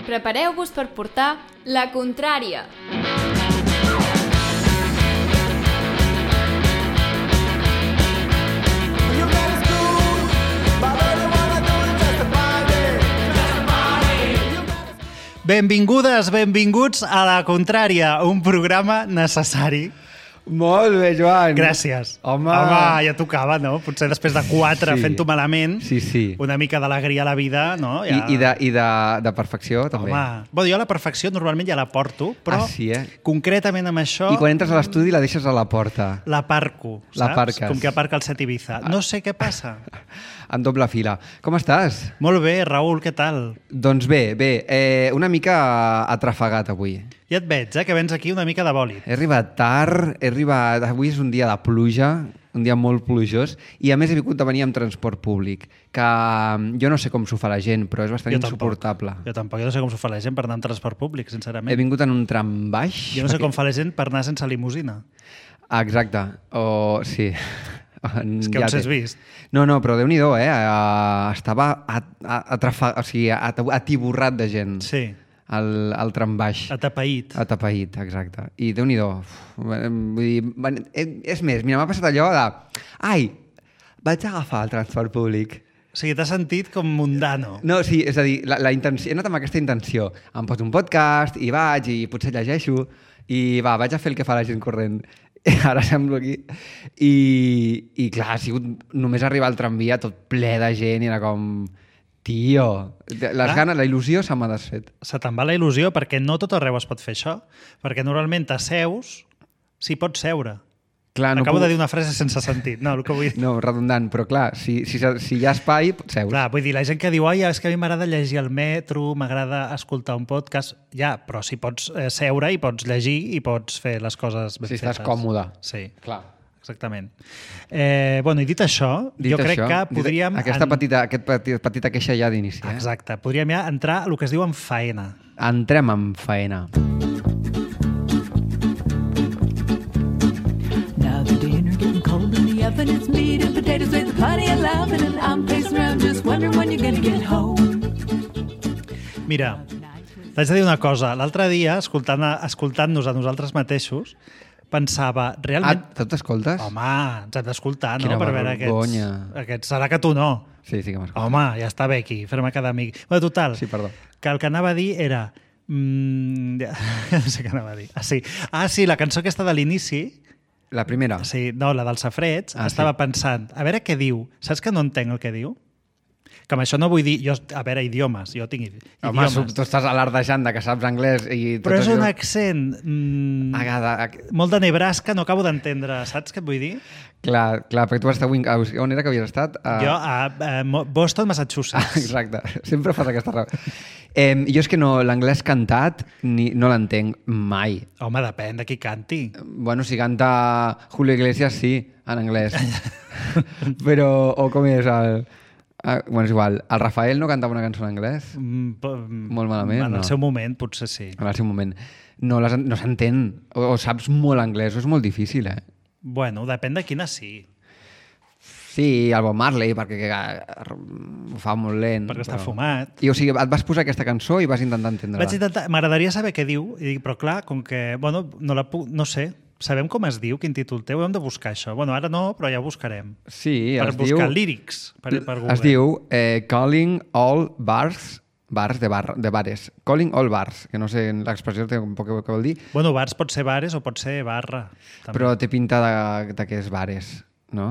Prepareu-vos per portar la contrària. Benvingudes, benvinguts a La Contrària, un programa necessari. Molt bé, Joan. Gràcies. Home, ja tocava, no? Potser després de 4 fent-ho malament, sí. una mica d'alegria a la vida, no? Ja... I de perfecció, també. Home, bueno, jo la perfecció normalment ja la porto, però concretament amb això... I quan entres a l'estudi la deixes a la porta. L'aparco, saps? L'aparques. Com que aparca el Set Ibiza. No sé què passa. En doble fila. Com estàs? Molt bé, Raül, què tal? Doncs bé, una mica atrafegat avui. Ja et veig, que vens aquí una mica de bòlit. He arribat tard, avui és un dia de pluja, un dia molt plujós, i a més he vingut de venir amb transport públic, que jo no sé com s'ho fa la gent, però és bastant insuportable. Jo tampoc, jo no sé com s'ho fa la gent per anar amb transport públic, sincerament. He vingut en un tram baix. Jo no sé com fa la gent per anar sense limusina. Exacte, sí. És que on s'has vist? No, però Déu-n'hi-do, estava atiborrat de gent. Sí. Al tram baix. Atapeït. Atapeït, exacte. I Déu-n'hi-do. Vull dir, és més, mira, m'ha passat allò de... Ai, vaig agafar el transport públic. O sigui, t'has sentit com mundano. No, sí, és a dir, la intenció, he anat amb aquesta intenció. Em poso un podcast i vaig i potser llegeixo i vaig a fer el que fa la gent corrent. Ara semblo aquí. I clar, ha sigut només arribar al tramvia tot ple de gent i era com... Tio, ganes, la il·lusió se m'ha desfet. Se te'n va la il·lusió perquè no tot arreu es pot fer això. Perquè normalment t'asseus, s'hi pots seure. Clar, Acabo de dir una frase sense sentit. No, el que vull dir... No, redundant, però clar, si hi ha espai, seus. Clar, vull dir, la gent que diu és que a mi m'agrada llegir al metro, m'agrada escoltar un podcast... Ja, però si pots seure i pots llegir i pots fer les coses ben fetes. Si estàs còmode. Sí. Clar. Exactament. Bueno, i dit això, crec que podríem... Aquesta petita queixa ja d'inici. Exacte. Podríem ja entrar a el que es diu en faena. Entrem en faena. Now the dinner getting cold in the oven. It's meat and potatoes with plenty of loving. And I'm pacing around just wondering when you're gonna get home. Mira, t'haig de dir una cosa. L'altre dia, escoltant-nos a nosaltres mateixos, pensava, realment... Tu t'escoltes? Home, ens hem d'escoltar, no? Quina Per veure aquests... Serà que tu no. Sí que m'escoltes. Home, ja està bé aquí, fer-me cada amic. Bueno, total, sí, perdó. Que el que anava a dir era... no sé què anava a dir. Sí, la cançó aquesta de l'inici... La primera? Sí, no, la dels safrets. Estava pensant, a veure què diu. Saps que no entenc el que diu? Que amb això no vull dir... a veure, idiomes. Jo tinc idiomes. Home, tu estàs alardejant que saps anglès i... Però és un accent molt de Nebraska, no acabo d'entendre. Saps què et vull dir? Clar, perquè tu vas estar... On era que havies estat? Jo a Boston, Massachusetts. Exacte, sempre fas aquesta raó. Jo és que no, l'anglès cantat no l'entenc mai. Home, depèn de qui canti. Bueno, si canta Julio Iglesias, sí, en anglès. Però, o com és el... Bueno, és igual. El Rafael no cantava una cançó en anglès? Molt malament, no? En el seu moment, potser sí. En el seu moment. No s'entén. O saps molt anglès, o és molt difícil, Bueno, depèn de quina sí. Sí, el Bob Marley, perquè ho fa molt lent. Perquè està fumat. I, o sigui, et vas posar aquesta cançó i vas intentar entendre-la. M'agradaria saber què diu, però clar, com que, bueno, no sé, sabem com es diu, quin títol té, ho hem de buscar això. Bueno, ara no, però ja ho buscarem. Sí, per buscar lírics per Google. Es diu Calling All Bars de bares. Calling All Bars, que no sé l'expressió un poc què vol dir. Bueno, bars pot ser bares o pot ser barra. També. Però té pinta de que és bares, no?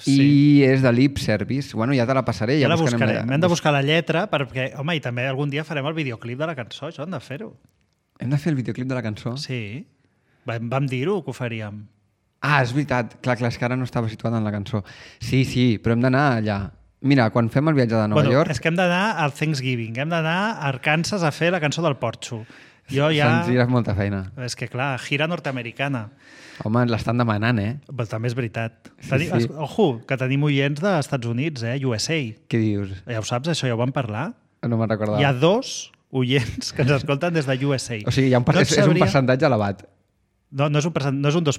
Sí. I és de lip service. Bueno, ja te la passaré. Ja la buscarem. Hem de buscar la lletra perquè, home, i també algun dia farem el videoclip de la cançó, això hem de fer-ho. Hem de fer el videoclip de la cançó? Sí. Vam dir-ho, que ho faríem. És veritat. Clar, és que ara no estava situat en la cançó. Sí, però hem d'anar allà. Mira, quan fem el viatge de Nova York... És que hem d'anar al Thanksgiving, hem d'anar a Arkansas a fer la cançó del Porxo. Se'ns dirà molta feina. És que, clar, gira nord-americana. Home, l'estan demanant, Però també és veritat. Sí. Ojo, que tenim oients dels Estats Units, USA. Què dius? Ja ho saps, això ja ho vam parlar? No me'n recordava. Hi ha 2 oients que ens escolten des de USA. O sigui, és un percentatge elevat. No és un 2%, sinó dos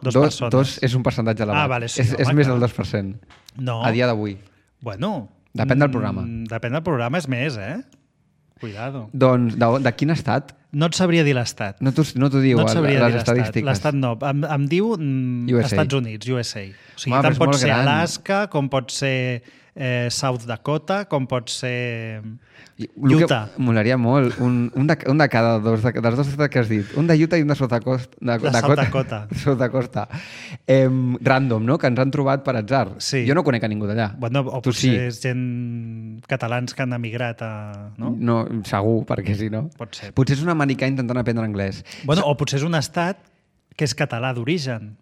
persones. 2 és un percentatge elevat. Vale, sí, és més del 2%. No. A dia d'avui. Bueno. Depèn del programa. Depèn del programa, és més, Cuidado. Doncs, de quin estat? No et sabria dir l'estat. No t'ho diu, No et sabria dir les l'estat. estadístiques. L'estat no. Em diu USA. Estats Units, USA. O sigui, Home, però tant és pot molt ser gran. Alaska, com pot ser South Dakota, com pot ser Utah. Utah. Molaria molt. Un de cada dos, dels dos estats que has dit. Un de Utah i un de South Dakota. South Dakota. South Dakota. Random, no? Que ens han trobat per atzar. Sí. Jo no conec a ningú d'allà. Bueno, o Tu potser sí. és gent catalans que han emigrat a... No? No, segur, perquè si no... Pot ser. Potser és un americà intentant aprendre anglès. Bueno, o potser és un estat que és català d'origen.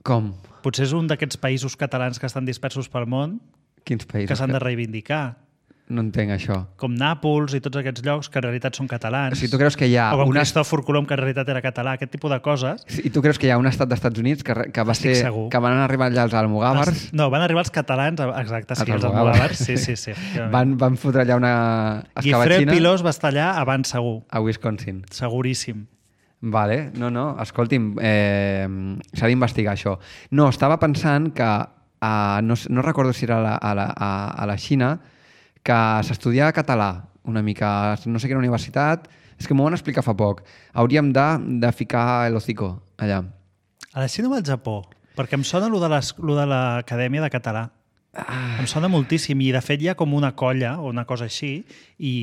Com? Potser és un d'aquests països catalans que estan dispersos pel món Quins països? que s'han de reivindicar. No entenc això. Com Nàpols i tots aquests llocs que en realitat són catalans. O sigui, tu creus que hi ha o com una... Cristòfor Colom, que en realitat era català, aquest tipus de coses. I tu creus que hi ha un estat dels Units que Estic segur. que van arribar allà els almogàvers? No, van arribar els catalans, exacte, sí, Els els almogàvers. almogàvers. Sí, efectivament. Van fotre allà una Guifré escabatxina Pilós va estar allà abans segur, a Wisconsin. seguríssim. Vale, no, escolti'm, s'ha d'investigar això. No, estava pensant que, no recordo si era a la Xina, que s'estudia català una mica, no sé quina universitat, és que m'ho van explicar fa poc. Hauríem de ficar el hocico allà. A la Xina o al Japó? Perquè em sona lo de l'Acadèmia de Català. Em sona moltíssim i de fet hi ha com una colla o una cosa així i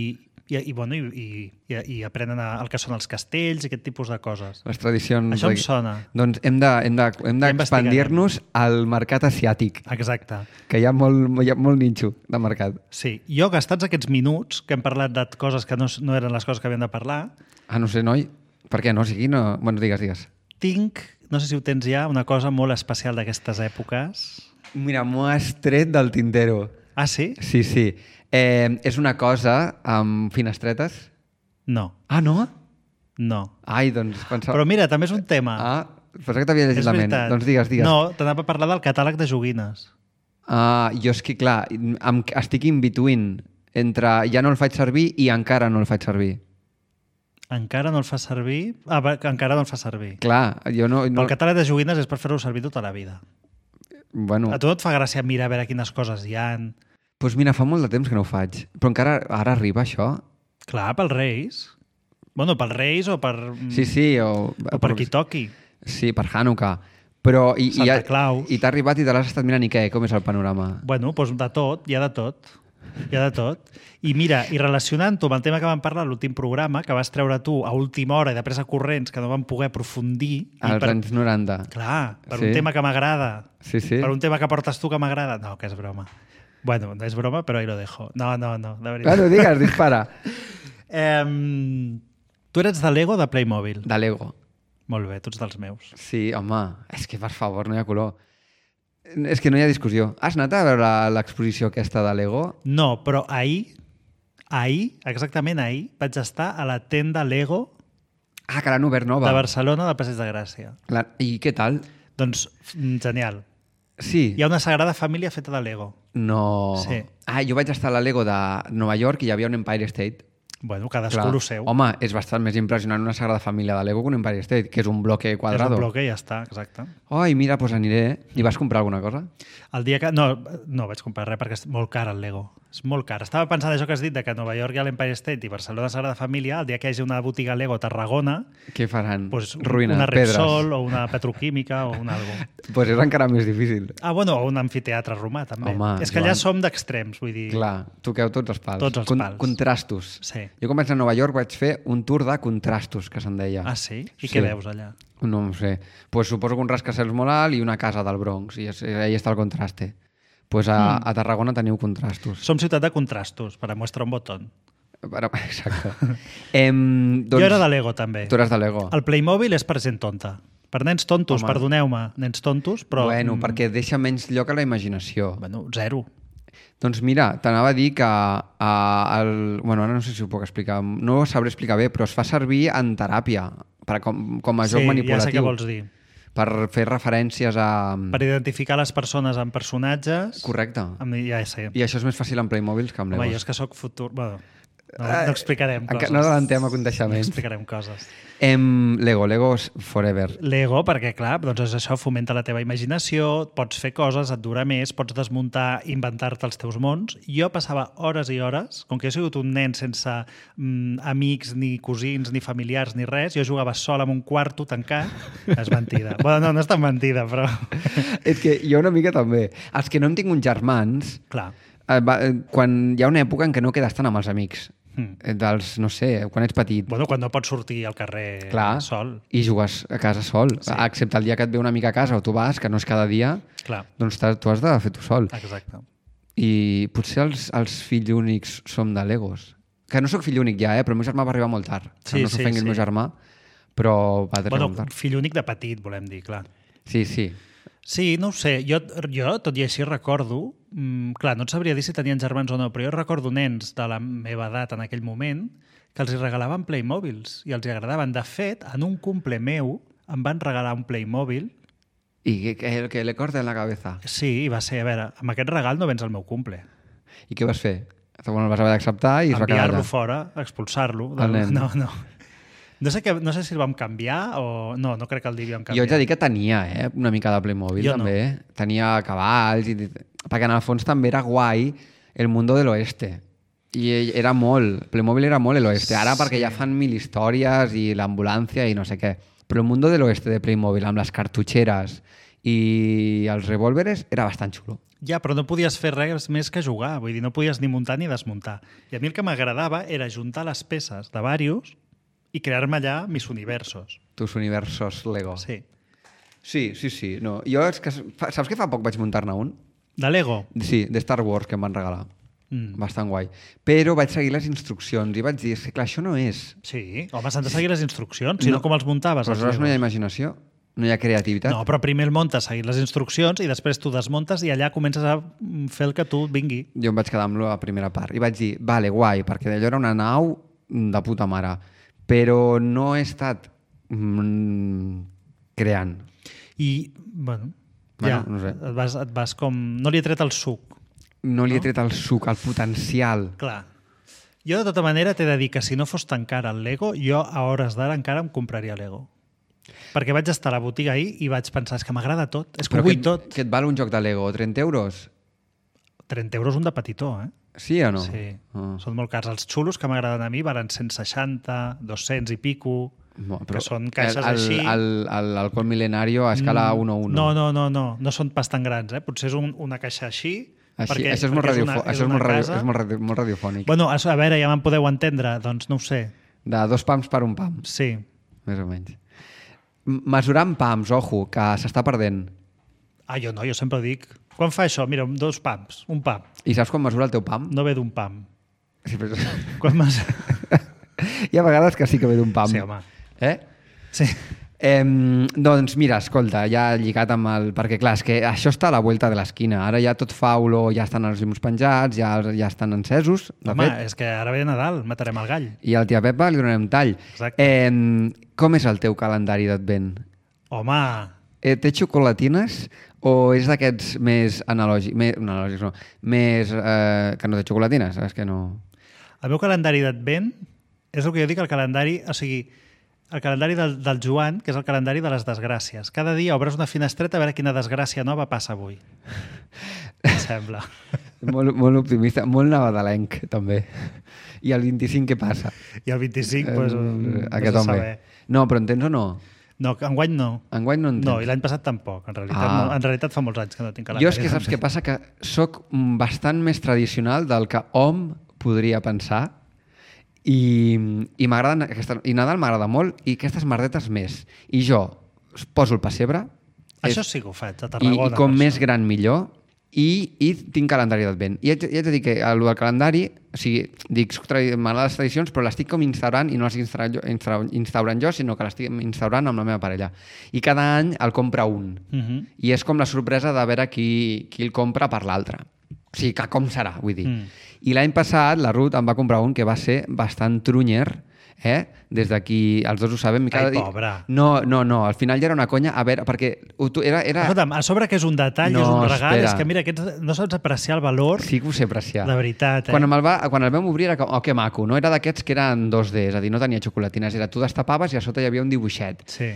aprenen el que són els castells i aquest tipus de coses. Les tradicions... Això em sona. Doncs hem d'expandir-nos al mercat asiàtic, Exacte. que hi ha molt ninxo de mercat. Sí. Jo, gastats aquests minuts que hem parlat de coses que no eren les coses que havíem de parlar, No sé, noi, per què no? O sigui, no... Bueno, digues. tinc, no sé si ho tens ja, una cosa molt especial d'aquestes èpoques. Mira, m'ho has tret del tintero. Ah, sí? Sí. És una cosa amb finestretes? No. Ah, no? No. Ai, doncs pensava... Però mira, també és un tema. Pensava que t'havia llegit És la ment. veritat. Doncs digues. No, t'anava a parlar del catàleg de joguines. Jo és que, clar, estic in between entre ja no el faig servir i encara no el faig servir. Encara no el fa servir? Encara no el fa servir. Clar, jo no... El catàleg de joguines és per fer-ho servir tota la vida. Bueno, A tu no et fa gràcia mirar a veure quines coses hi ha? doncs mira, fa molt de temps que no ho faig. Però encara ara arriba això? Clar, pels Reis. Bueno, pels Reis o per... Sí, o per qui toqui. Sí, per Hanukkah. Però Santa Claus. I t'ha arribat i te l'has estat mirant i què? Com és el panorama? Bueno, doncs de tot, hi ha de tot. Hi ha de tot. I mira, i relacionant-ho amb el tema que vam parlar a l'últim programa, que vas treure tu a última hora i de pressa corrents, que no vam poder aprofundir... Als anys 90. Clar, per Sí. un tema que m'agrada. Sí. Per un tema que portes tu que m'agrada. No, que és broma. Bueno, no és broma, però ahí lo dejo. No, de veritat. Bueno, digues, dispara. Tu eres de Lego o de Playmobil? De Lego. Molt bé, tu ets dels meus. Sí, home, és que per favor, no hi ha color. És que no hi ha discussió. Has anat a veure l'exposició aquesta de Lego? No, però ahir, exactament ahir, vaig estar a la tenda Lego Que l'han obert nova. de Barcelona del Passeig de Gràcia. I què tal? Doncs genial. Sí. Hi ha una Sagrada Família feta de Lego. No. Sí. Jo vaig estar a la Lego de Nova York i hi havia un Empire State. Bueno, cadascú el seu. Home, és bastant més impressionant una Sagrada Família de Lego que un Empire State, que és un bloque és quadrado. un bloque i ja està, exacte. Ai, mira, doncs aniré. I vas comprar alguna cosa? El dia que... No vaig comprar res perquè és molt car el Lego. És molt car. Estava pensant això que has dit, de que a Nova York hi ha l'Empire State i Barcelona Sagrada Família, el dia que hi hagi una botiga Lego a Tarragona, Què faran? pues, Ruïna, una pedres. Repsol o una petroquímica o un algo. Pues és encara més difícil. Bueno, o un amfiteatre romà, també. Home, és que allà Joan. som d'extrems, vull dir... Clar, toqueu tots els pals. Tots els pals. Contrastos. Sí. Jo quan vaig a Nova York vaig fer un tour de contrastos, que se'n deia. Ah, sí? I Sí. què veus allà? No ho sé. Pues suposo que un rascacels molt alt i una casa del Bronx. I ahí està el contraste. Pues a Tarragona teniu contrastos. Som ciutat de contrastos, per a mostrar un botón. Exacte. Doncs, Jo era de Lego, també. Tu eres de Lego. El Playmobil és per gent tonta. Per nens tontos, Home. perdoneu-me, nens tontos, però... Bueno, perquè deixa menys lloc a la imaginació. Bueno, zero. Doncs mira, t'anava a dir que bueno, ara no sé si ho puc explicar, no ho sabré explicar bé, però es fa servir en teràpia com a joc Sí, manipulatiu. ja sé què vols dir. Per fer referències a... Per identificar les persones amb personatges... Correcte. Ja sé. I això és més fàcil en Playmobil que en Home, Legos. jo és que sóc futur... Bueno, No explicarem coses. No adelantem No aconteixements. explicarem coses. Legos forever. Lego, perquè, clar, doncs això fomenta la teva imaginació, pots fer coses, et dura més, pots desmuntar, inventar-te els teus mons. Jo passava hores i hores, com que he sigut un nen sense amics, ni cosins, ni familiars, ni res, jo jugava sol en un quarto tancat. És mentida. Bueno, no és tan mentida, però... És que jo una mica també. Els que no hem tingut germans, Clar. quan hi ha una època en què no quedes tant amb els amics, dels, no sé, quan ets petit, Bueno, quan no pots sortir al carrer clar, sol. i jugues a casa sol, excepte el dia que et ve una mica a casa o tu vas, que no és cada dia, Clar, doncs tu has de fer tu sol. exacte. I potser els fills únics som de Legos. Que no sóc fill únic ja, però el meu germà va arribar molt tard. Sí, no s'ofengui el meu germà, però va arribar molt tard. Fill únic de petit, volem dir, clar. Sí, sí. Sí, no ho sé. Jo tot i així, recordo... clar, no et sabria dir si tenien germans o no, però jo recordo nens de la meva edat en aquell moment que els hi regalaven Playmobils i els hi agradaven. De fet, en un cumple meu em van regalar un Playmobil. I que le corta en la cabeza. Sí, i va ser, a veure, amb aquest regal no vens al meu cumple. I què vas fer? Bueno, el vas haver d'acceptar i es va quedar Enviar-lo allà. fora, expulsar-lo. El nen. No. No sé si el vam canviar o... No crec que el devíem Jo canviar. haig de dir que tenia una mica de Playmobil, Jo no. també. Tenia cavalls, perquè en el fons també era guai el mundo de l'oeste. I era molt... Playmobil era molt l'oeste. Ara perquè ja fan 1000 històries i l'ambulància i no sé què. Però el mundo de l'oeste de Playmobil, amb les cartutxeres i els revòlveres, era bastant xulo. Ja, però no podies fer res més que jugar. Vull dir, no podies ni muntar ni desmuntar. I a mi el que m'agradava era juntar les peces de diversos i crear-me allà mis universos. Tus universos Lego. Sí. Sí. No. Jo, és que, saps que fa poc vaig muntar-ne un? De Lego? Sí, de Star Wars, que em van regalar. Bastant guai. Però vaig seguir les instruccions i vaig dir, és que clar, això no és. Sí. Home, s'han de seguir les instruccions, si no com els muntaves. Però els aleshores no hi ha Legos? imaginació, no hi ha creativitat. No, però primer el muntes seguint les instruccions i després tu desmuntes i allà comences a fer el que tu vingui. Jo em vaig quedar amb la primera part i vaig dir, vale, guai, perquè d'allò era una nau de puta mare, però no he estat creant. I, bueno, Bueno, ja, no sé. et vas com... No li he tret el suc. No li he tret el suc, el potencial. Clar. Jo, de tota manera, t'he de dir que si no fos tan car el Lego, jo a hores d'ara encara em compraria Lego. Perquè vaig estar a la botiga ahir i vaig pensar, és que m'agrada tot, és que ho vull tot. Que et val un joc de Lego? 30 euros? 30 euros un de petitó, eh? Sí o no? Sí, Ah. són molt cars. Els xulos que m'agraden a mi valen 160, 200 i pico, Però que són caixes així. L'alcohol mil·lenario a escala 1-1. No són pas tan grans, eh? Potser és una caixa així, Així, això és molt molt radiofònic. Bueno, a veure, ja me'n podeu entendre, doncs no ho sé. De 2 pams per un pam, Sí. més o menys. Mesurant pams, ojo, que s'està perdent. Ah, jo no, jo sempre dic... Quan fa això? Mira, 2 pams, un pam. I saps quan mesura el teu pam? No ve d'un pam. Sí, però... Quan Hi ha vegades que sí que ve d'un pam. Sí, home. Sí. Doncs mira, escolta, ja lligat amb el... Perquè clar, és que això està a la vuelta de l'esquina. Ara ja tot fa olor, ja estan els llums penjats, ja estan encesos, de Home, fet. és que ara ve Nadal, matarem el gall. I al tia Pepa li donarem tall. Exacte. Com és el teu calendari d'advent? Home, Té xocolatines o és d'aquests més analògics? Analògics no. Més... que no té xocolatines, és que no... el meu calendari d'advent és el que jo dic, el calendari... O sigui, el calendari del Joan, que és el calendari de les desgràcies. Cada dia obres una finestreta a veure quina desgràcia nova passa avui. Em sembla. molt optimista, molt nadalenc, també. I el 25 què passa? I el 25, doncs, Aquest home. No, però entens o no? No, enguany no. Enguany no entens. No, i l'any passat tampoc. En realitat, Ah. no. En realitat fa molts anys que no tinc calendari. Jo és que saps què passa? Que sóc bastant més tradicional del que hom podria pensar i m'agraden i Nadal m'agrada molt i aquestes merdetes més. I jo poso el pessebre. Això sí que ho faig, a Tarragona. I com per més això. gran millor. I tinc calendari d'advent. I haig de dir que el del calendari, o sigui, dic, m'agraden les tradicions, però l'estic com instaurant i no les instaurant jo, sinó que l'estic instaurant amb la meva parella. I cada any el compra un. I és com la sorpresa de veure qui el compra per l'altre. O sigui, que com serà, vull dir. I l'any passat la Ruth em va comprar un que va ser bastant trunyer, Des d'aquí, els dos ho sabem. Ai, pobre. No, al final ja era una conya, a veure, perquè era... Escolta'm, a sobre que és un detall, No, és un regal, espera. és que mira, aquests no saps apreciar el valor Sí que ho sé apreciar. de veritat. Quan el vam obrir era com, oh, que maco, no? Era d'aquests que eren 2D, és a dir, no tenia xocolatines, era tu destapaves i a sota hi havia un dibuixet. Sí.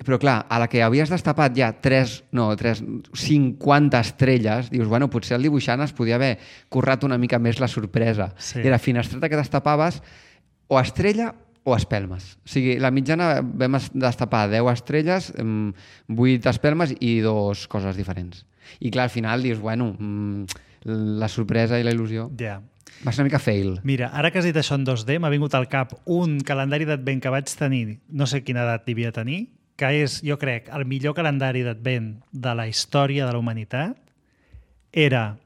Però clar, a la que havies destapat ja 50 estrelles, dius, bueno, potser el dibuixant es podia haver currat una mica més la sorpresa. Sí. I la finestreta que destapaves o estrella o espelmes. O sigui, la mitjana vam destapar 10 estrelles, 8 espelmes i 2 coses diferents. I clar, al final dius, bueno, la sorpresa i la il·lusió. Ja. Va ser una mica fail. Mira, ara que has dit això en 2D, m'ha vingut al cap un calendari d'advent que vaig tenir, no sé quina edat devia tenir, que és, jo crec, el millor calendari d'advent de la història de la humanitat. Era,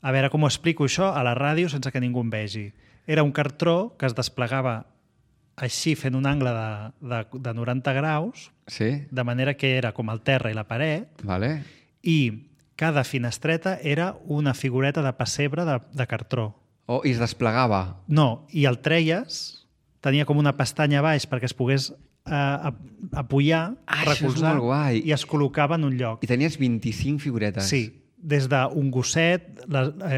a veure com ho explico això a la ràdio sense que ningú em vegi. Era un cartró que es desplegava així fent un angle de 90 graus, Sí? de manera que era com el terra i la paret, Vale. i cada finestreta era una figureta de pessebre de cartró. Oh, i es desplegava. No, i el treies, tenia com una pestanya a baix perquè es pogués apoyar, Això és recolzar, molt guai. i es col·locava en un lloc. I tenies 25 figuretes. Sí, des d'un gosset,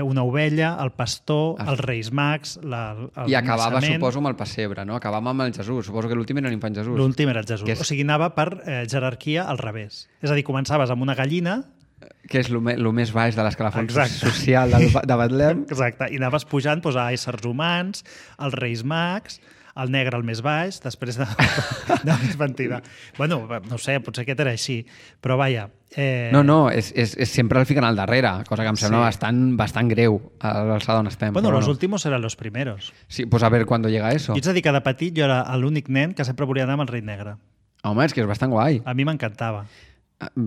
una ovella, el pastor, els Reis Mags, el I acabava, naixement. suposo, amb el pessebre, no? Acabava amb el Jesús. Suposo que l'últim era l'infant Jesús. L'últim era el Jesús. Que és- O sigui, anava per jerarquia al revés. És a dir, començaves amb una gallina, Que és el més baix de l'escalafon Exacte. social de Betlem. exacte, i anaves pujant doncs, a éssers humans, als Reis Mags, el negre al més baix, després de més mentida. Bueno, no sé, potser aquest era així, però vaja... No, és sempre el fiquen al darrere, cosa que em sembla bastant greu a l'alçada on estem. Bueno, però los no. últimos eran los primeros. Sí, pues a ver cuándo llega eso. I ets a dir que de petit jo era l'únic nen que sempre volia anar amb el rei negre. Home, és que és bastant guai. A mi m'encantava.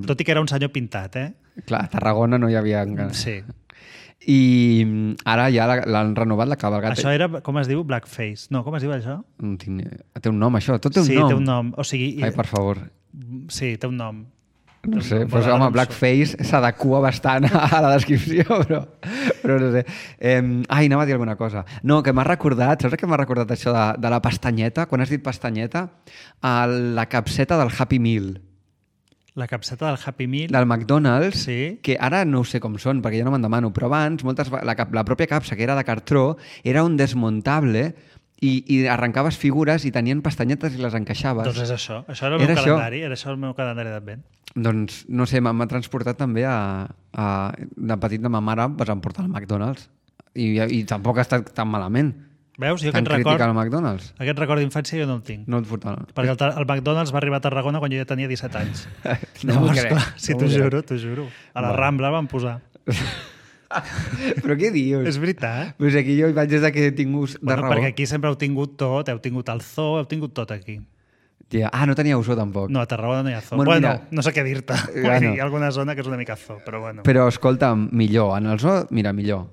Tot i que era un senyor pintat, eh? Clar, a Tarragona no hi havia... Sí. I ara ja l'han renovat, la cabalgata. Això era, com es diu? Blackface. No, com es diu això? No tinc... Té un nom, això. Tot té un Sí, nom. té un nom. O sigui, Ai, per favor. sí, té un nom. No sé, Bueno, doncs, ara home, no em Blackface s'adequa bastant a la descripció, però no sé. Anava a dir alguna cosa. No, que m'ha recordat, saps què m'ha recordat això de la pestanyeta? Quan has dit pestanyeta, la capseta del Happy Meal, La capseta del Happy Meal. del McDonald's, Sí. que ara no ho sé com són, perquè ja no me'n demano, però abans la pròpia capsa, que era de cartró, era un desmuntable i arrencaves figures i tenien pestanyetes i les encaixaves. Doncs és això. Això era el meu Era això. calendari. Era això el meu calendari d'advent. Doncs, no sé, m'ha transportat també de petit de ma mare, vas emportar al McDonald's. I tampoc ha estat tan malament. Veus? Jo Tan aquest crític record, al McDonald's. aquest record d'infància jo no el tinc. No et portava. Perquè el McDonald's va arribar a Tarragona quan jo ja tenia 17 anys. No m'ho Llavors, crec, clar, sí, no t'ho m'ho crec. juro, t'ho juro. A la Va. Rambla van posar. Però què dius? És veritat. Pues aquí jo hi vaig des que he tingut de Bueno, raó. perquè aquí sempre heu tingut tot, heu tingut el zoo, heu tingut tot aquí. Tia, no teníeu zoo tampoc. No, a Tarragona no hi ha zoo. Bueno, Bueno, mira, no sé què dir-te. bueno. Hi ha alguna zona que és una mica zoo, però bueno. Però escolta, millor. En el zoo, mira, millor.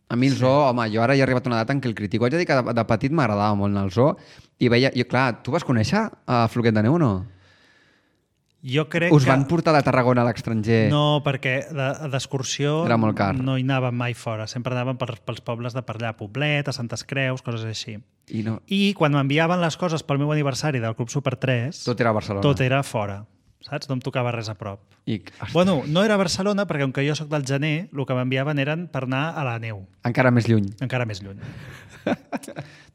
A mi el zoo, home, jo ara ja he arribat a una data en què el critico. Haig de dir que de petit m'agradava molt anar al zoo i veia... Clar, tu vas conèixer a Floquet de Neu o no? Jo crec Us que... van portar de Tarragona a l'estranger? No, perquè d'excursió Era molt car. no hi anàvem mai fora. Sempre anàvem pels pobles de per allà, Poblet, a Santes Creus, coses així. I no... I quan m'enviaven les coses pel meu aniversari del Club Super 3, Tot era a Barcelona. tot era fora. Saps? No em tocava res a prop. I... Bueno, no era a Barcelona, perquè com que jo sóc del gener, el que m'enviaven eren per anar a la neu, Encara més lluny. encara més lluny.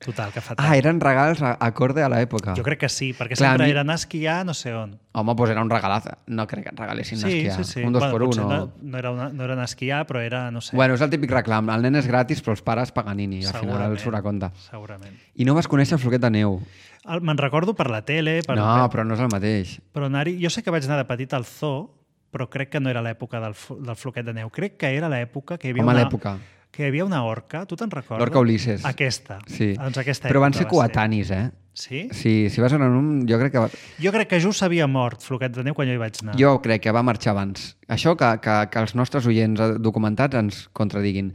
Total, que fa tant. Eren regals acorde a l'època. Jo crec que sí, perquè Clar, sempre a mi- era anar a esquiar no sé on. Home, doncs era un regalazo. No crec que et regalessin Sí, esquiar. sí, sí. Un 2 per 1. potser No. no era anar a esquiar, però era, no sé, Bueno, és el típic reclam. El nen és gratis, però els pares Paganini. Al final el surt a compte. segurament. I no vas conèixer el Floquet de Neu. Me'n recordo per la tele, No, però no és el mateix. però anar-hi... Jo sé que vaig anar de petit al zoo, però crec que no era l'època del floquet de neu. Crec que era l'època que hi havia Home, una... l'època. Que hi havia una orca, tu te'n recordes? L'orca Ulisses. Aquesta. Sí. Doncs aquesta Però van època ser va coetanis, eh? Sí? Sí, si vas anar en un... Jo crec que... Jo crec que just s'havia mort Floquet de neu quan jo hi vaig anar. Jo crec que va marxar abans. Això que els nostres oients documentats ens contradiguin.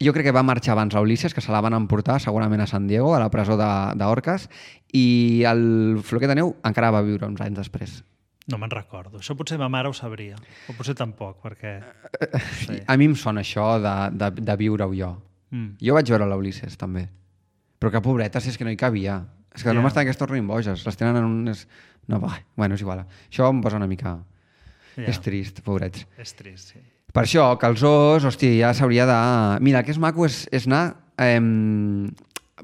Jo crec que va marxar abans a Ulisses, que se la van emportar segurament a San Diego, a la presó d'Orques, i el Floquet de Neu encara va viure uns anys després. No me'n recordo. Això potser ma mare ho sabria. O potser tampoc, perquè... Sí. A mi em sona això de viure-ho jo. Mm. Jo vaig veure l'Ulisses, també. Però que pobretes, és que no hi cabia. És que no m'estan que es tornin boges. Les tenen en unes... No, bueno, és igual. Això em posa una mica... És trist, pobrets. És trist, sí. Per això, que els os, hòstia, ja s'hauria de... Mira, el que és maco és anar...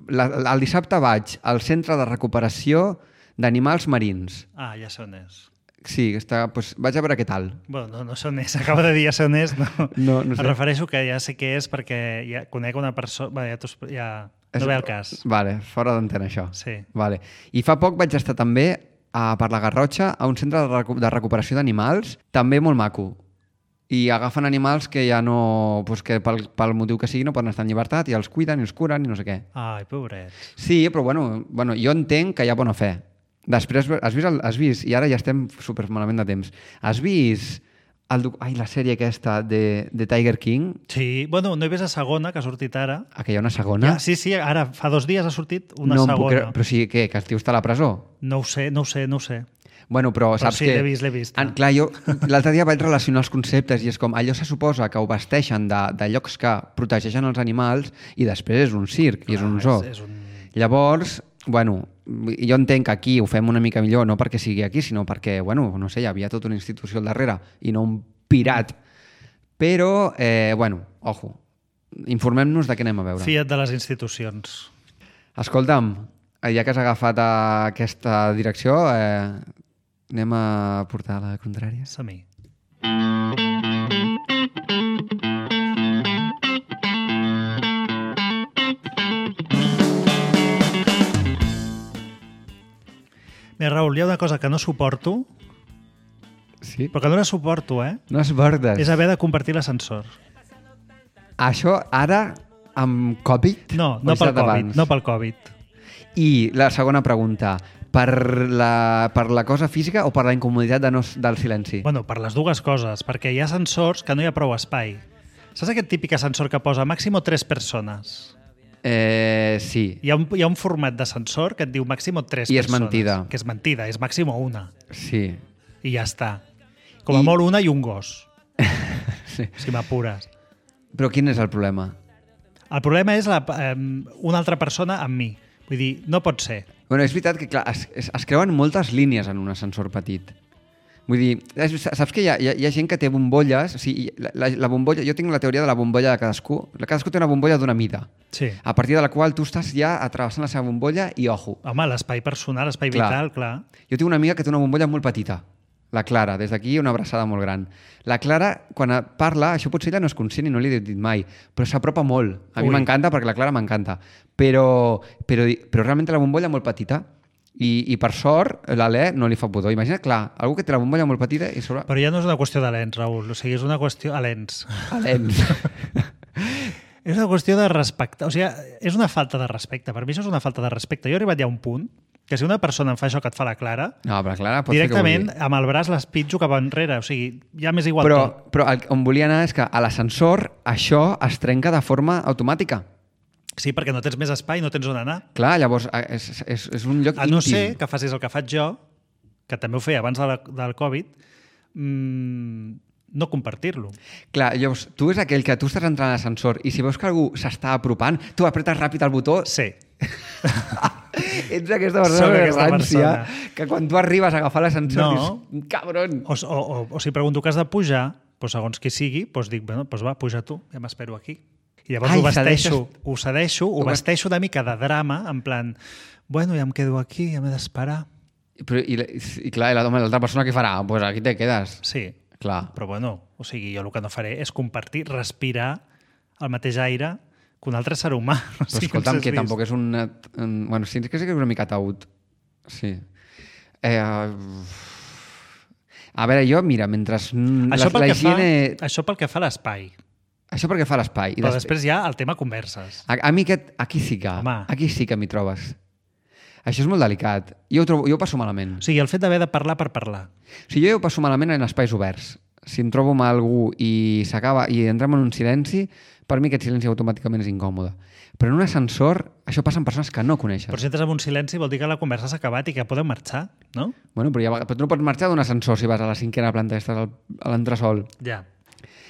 El dissabte vaig al centre de recuperació d'animals marins. Ah, ja sé on és. Sí, doncs vaig a veure què tal. Bueno, no sé on és, acaba de dir ja sé on és. No sé. Em refereixo que ja sé què és perquè ja conec una persona... Bé, no ve al cas. Vale, fora d'antena això. Sí. Vale. I fa poc vaig estar també per la Garrotxa a un centre de recuperació d'animals, també molt maco. I agafen animals que ja no... Pues que pel motiu que sigui no poden estar en llibertat i els cuiden i els curen i no sé què. Ai, pobrets. Sí, però bueno, jo entenc que hi ha bona fe. Després, has vist, i ara ja estem super malament de temps, has vist la sèrie aquesta de Tiger King? Sí, bueno, no he vist la segona, que ha sortit ara. Que hi ha una segona? Ja, sí, ara, fa 2 dies ha sortit una segona. Però sí, què? Que el tio està a la presó? No ho sé. Bueno, però saps sí, que... l'he vist. Clar, jo l'altre dia vaig relacionar els conceptes i és com, allò se suposa que ho vesteixen de llocs que protegeixen els animals i després és un circ, i és un zoo. Llavors, bueno, jo entenc que aquí ho fem una mica millor, no perquè sigui aquí, sinó perquè, bueno, no sé, hi havia tota una institució al darrere i no un pirat. Però, bueno, ojo, informem-nos de què anem a veure. Fia't de les institucions. Escolta'm, ja que has agafat aquesta direcció, anem a portar la contrària? Som-hi. Mira, Raül, hi ha una cosa que no suporto, sí? Però que no la suporto, No suportes? És haver de compartir l'ascensor. Això ara, amb Covid? No pel Covid. I la segona pregunta, per la cosa física o per la incomoditat del silenci? Bueno, per les dues coses, perquè hi ha ascensors que no hi ha prou espai. Saps aquest típic ascensor que posa màximo 3 persones? Sí. Hi ha un format d'ascensor que et diu màximo 3 persones. I és mentida. Que és mentida, és màximo 1. Sí. I ja està. Com a molt 1 i un gos. Sí. Si m'apures. Però quin és el problema? El problema és una altra persona amb mi. Vull dir, no pot ser. Bueno, és veritat que clar, es creuen moltes línies en un ascensor petit. Vull dir, saps que hi ha gent que té bombolles, o sigui, la bombolla, jo tinc la teoria de la bombolla de cadascú. Cadascú té una bombolla d'una mida. Sí. A partir de la qual tu estàs ja atrevessant la seva bombolla i ojo. Home, l'espai personal, l'espai vital, clar. Jo tinc una amiga que té una bombolla molt petita, la Clara, des d'aquí una abraçada molt gran. La Clara, quan parla, això potser ella no és conscient i no li he dit mai, però s'apropa molt. A mi m'encanta perquè la Clara m'encanta. Però realment té la bombolla molt petita. I per sort, l'Alè no li fa pudor. Imagina't, clar, algú que té la bombolla molt petita i sobre... Però ja no és una qüestió de lents, Raül. O sigui, és una qüestió... Lents. És una qüestió de respecte. O sigui, és una falta de respecte. Per mi això és una falta de respecte. Jo he arribat ja a un punt que si una persona em fa això que et fa la Clara, no, però Clara pot directament amb el braç l'espitjo cap enrere. O sigui, ja m'és igual tot. Però on volia anar és que a l'ascensor això es trenca de forma automàtica. Sí, perquè no tens més espai, no tens on anar. Clar, llavors és un lloc íntim. A no ser que facis el que faig jo, que també ho feia abans del Covid, no compartir-lo. Clar, llavors, tu és aquell que tu estàs entrant a l'ascensor i si veus que algú s'està apropant, tu apretes ràpid el botó... Sí. Ets aquesta persona que quan tu arribes a agafar l'ascensor dius, cabron! O si pregunto que has de pujar, doncs segons qui sigui, doncs dic, bueno, doncs va, puja tu, ja m'espero aquí. I llavors ho vesteixo una mica de drama, en plan, bueno, ja em quedo aquí, ja m'he d'esperar. I clar, l'altra persona què farà? Doncs aquí te quedes. Sí, clar. Però bueno, o sigui, jo el que no faré és compartir, respirar el mateix aire que un altre ser humà. Però escolta'm, que tampoc és un... Bueno, sí que és una mica taüt. Sí. A veure, jo, mira, mentre Això pel que fa a l'espai. Això perquè fa l'espai. Però després hi ha el tema converses. A mi aquí sí que m'hi trobes. Això és molt delicat. Jo ho passo malament. O sigui, el fet d'haver de parlar per parlar. O sigui, jo ho passo malament en espais oberts. Si em trobo amb algú i s'acaba i entrem en un silenci, per mi aquest silenci automàticament és incòmode. Però en un ascensor, això passa amb persones que no coneixes. Però si entres en un silenci vol dir que la conversa s'ha acabat i que podem marxar, no? Bueno, però tu no pots marxar d'un ascensor si vas a la 5ª planta i estàs a l'entresol. Ja.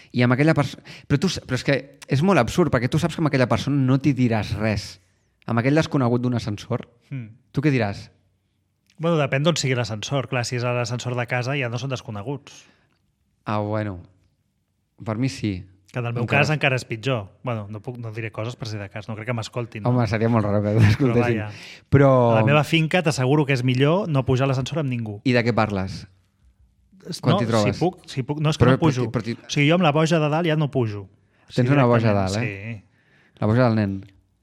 I amb aquella persona... Però és que és molt absurd, perquè tu saps que amb aquella persona no t'hi diràs res. amb aquell desconegut d'un ascensor, tu què diràs? Bueno, depèn d'on sigui l'ascensor. Clar, si és l'ascensor de casa ja no són desconeguts. Ah, bueno. Per mi sí. Que en el meu cas encara és pitjor. Bueno, no diré coses per si de cas, no crec que m'escoltin. No? Home, seria molt raro que t'escoltessin. Però a la meva finca t'asseguro que és millor no pujar a l'ascensor amb ningú. I de què parles? Quan t'hi trobes? Si puc. No, és que no pujo. O sigui, jo amb la boja de dalt ja no pujo. Tens una boja de dalt, Sí. La boja del nen.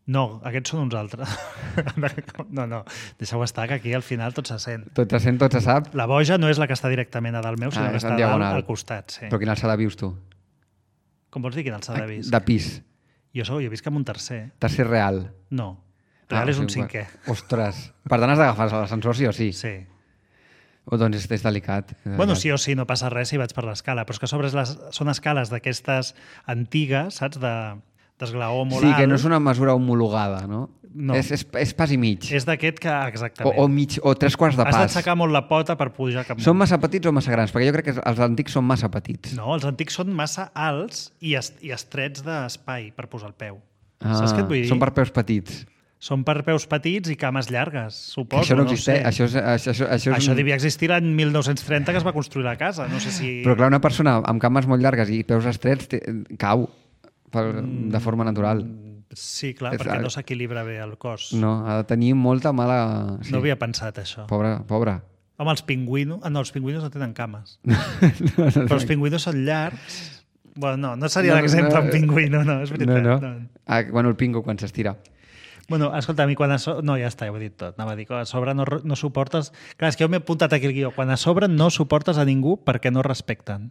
No, aquests són uns altres. No, deixeu estar, que aquí al final tot se sent. Tot se sent, tot se sap. La boja no és la que està directament a dalt meu, sinó que està a dalt al costat. Sí. Però quina alçada vius tu? Com vols dir quina alçada visc? De pis. Jo visc en un tercer. Tercer real. No. Real és un cinquè. Ostres. Per tant has d'agafar l'ascensor sí o sí? Sí. Doncs és delicat. Bueno, sí o sí, no passa res si vaig per l'escala, però és que a sobre són escales d'aquestes antigues, saps? D'esglaó molt alt. Sí, que no és una mesura homologada, no? No. És pas i mig. És d'aquest que, exactament. O 3/4 de pas. Has d'aixecar molt la pota per pujar cap Són massa petits o massa grans? Perquè jo crec que els antics són massa petits. No, els antics són massa alts i estrets d'espai per posar el peu. Saps què et vull dir? Són per peus petits. Són per peus petits i cames llargues, suposo. Això no existeix. Això devia existir l'any 1930 que es va construir la casa. No sé si... Però clar, una persona amb cames molt llargues i peus estrets cau de forma natural. Sí, clar, perquè no s'equilibra bé el cos. No, ha de tenir molta mala... Sí. No havia pensat això. Pobre. Home, els pingüinos... No, els pingüinos no tenen cames. Però els pingüinos són llargs. Bueno, no seria l'exemple un pingüino, no, és veritat. No. Bueno, el pingo quan s'estira. Bueno, escolta, a mi quan no, ja està, ja ho he dit tot. Anava a dir que a sobre no suportes... Clar, és que jo m'he apuntat aquí el guió. Quan a sobre no suportes a ningú perquè no respecten.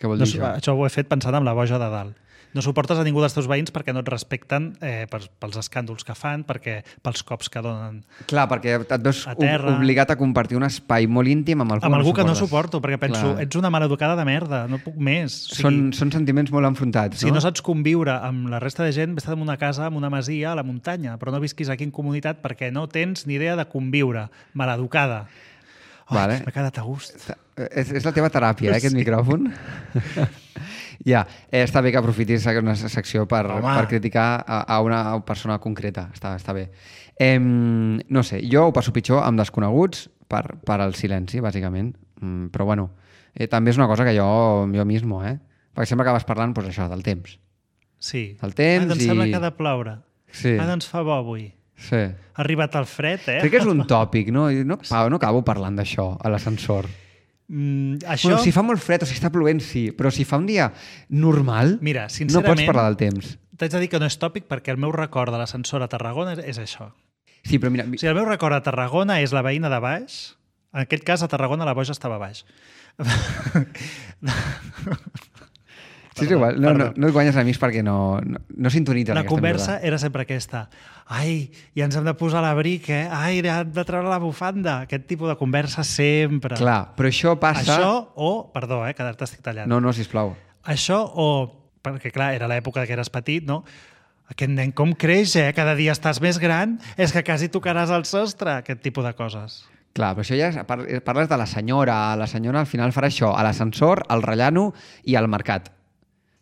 Què vol dir això? Això ho he fet pensant en la boja de dalt. No suportes a ningú dels teus veïns perquè no et respecten pels escàndols que fan, pels cops que donen. Clar, perquè et veus obligat a compartir un espai molt íntim amb algú que no suporto, perquè penso, ets una maleducada de merda, no puc més. O sigui, són sentiments molt enfrontats, no? Si no saps conviure amb la resta de gent, vés-te en una casa, en una masia, a la muntanya, però no visquis aquí en comunitat perquè no tens ni idea de conviure. Maleducada. Vale. M'ha quedat a gust. És la teva teràpia, aquest micròfon. Ja, està bé que aprofitis una secció per criticar a una persona concreta. Està bé. No sé, jo ho passo pitjor amb desconeguts per al silenci, bàsicament. Però bueno, també és una cosa que jo mismo, perquè sempre acabes parlant això, del temps. Sí. Del temps doncs sembla que ha de ploure. Sí. Doncs fa bo avui. Sí. Ha arribat el fred, Crec que és un tòpic, no? No acabo parlant d'això a l'ascensor. Això... Bueno, si fa molt fred o si està plovent, sí, però si fa un dia normal, mira, no pots parlar del temps. T'haig de dir que no és tòpic perquè el meu record de l'ascensor a Tarragona és això. Sí, però mira... O sigui, el meu record a Tarragona és la veïna de baix. En aquest cas, a Tarragona la boja estava a baix. Sí, és igual. No et guanyes amics perquè no sintonitzen. La conversa era sempre aquesta. Ai, ja ens hem de posar l'abric, Ai, hem de treure la bufanda. Aquest tipus de conversa sempre. Clar, però això passa... Això o... Perdó, que ara t'estic tallant. No, sisplau. Això o... Perquè, clar, era l'època que eres petit, no? Aquest nen com creix, Cada dia estàs més gran, és que quasi tocaràs el sostre, aquest tipus de coses. Clar, però això ja parles de la senyora. La senyora al final farà això, a l'ascensor, al rellano i al mercat.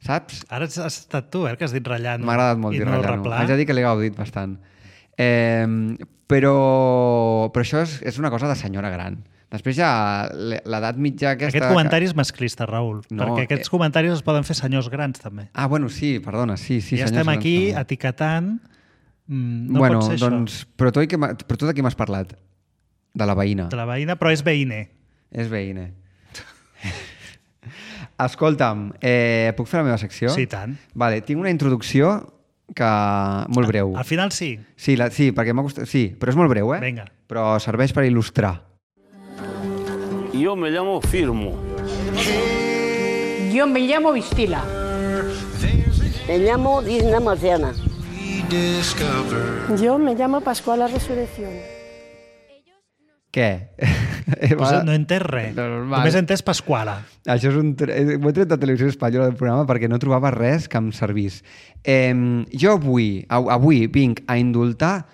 Saps? Ara has estat tu, que has dit rellano. M'ha agradat molt dir rellano. Haig de dir que l'he gaudit bastant. Però això és una cosa de senyora gran. Després ja l'edat mitja aquesta... Aquest comentari és masclista, Raül, perquè aquests comentaris es poden fer senyors grans, també. Ah, bueno, sí, perdona, sí. Ja estem aquí etiquetant... No pot ser doncs, això. Però tu de qui m'has parlat? De la veïna. De la veïna, però és veïne. És veïne. Escolta'm, puc fer la meva secció? Sí, tant. Vale, tinc una introducció que molt breu. Al final sí. Sí, perquè m'ha costat... Sí, però és molt breu, Vinga. Però serveix per il·lustrar. Yo me llamo Firmo. Yo me llamo Vistila. Me llamo Disna Marciana. Yo me llamo Pascuala Resurrección. Què? Pues no he entès res. Només he entès Pasquala. Això és ho he tret de Televisió Espanyola del programa perquè no trobava res que em servís. Jo avui vinc a indultar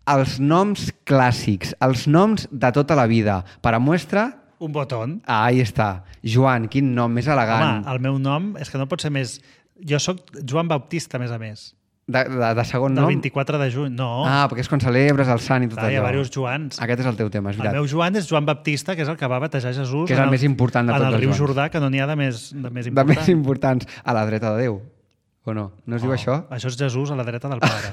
els noms clàssics, els noms de tota la vida. Per a muestra... Un botón. Ahí està. Joan, quin nom més elegant. Home, el meu nom és que no pot ser més... Jo sóc Joan Baptista, a més a més. De segon Del nom? 24 de juny, no. Perquè és quan celebres el sant i tot Hi ha allò. diversos Joans. Aquest és el teu tema, és El veritat. meu Joan és Joan Baptista, que és el que va batejar Jesús Que és el més important de tots en el els riu Joans. Jordà, que no n'hi ha de més De important. més importants. A la dreta de Déu. O no? No es diu això? Això és Jesús a la dreta del Pare.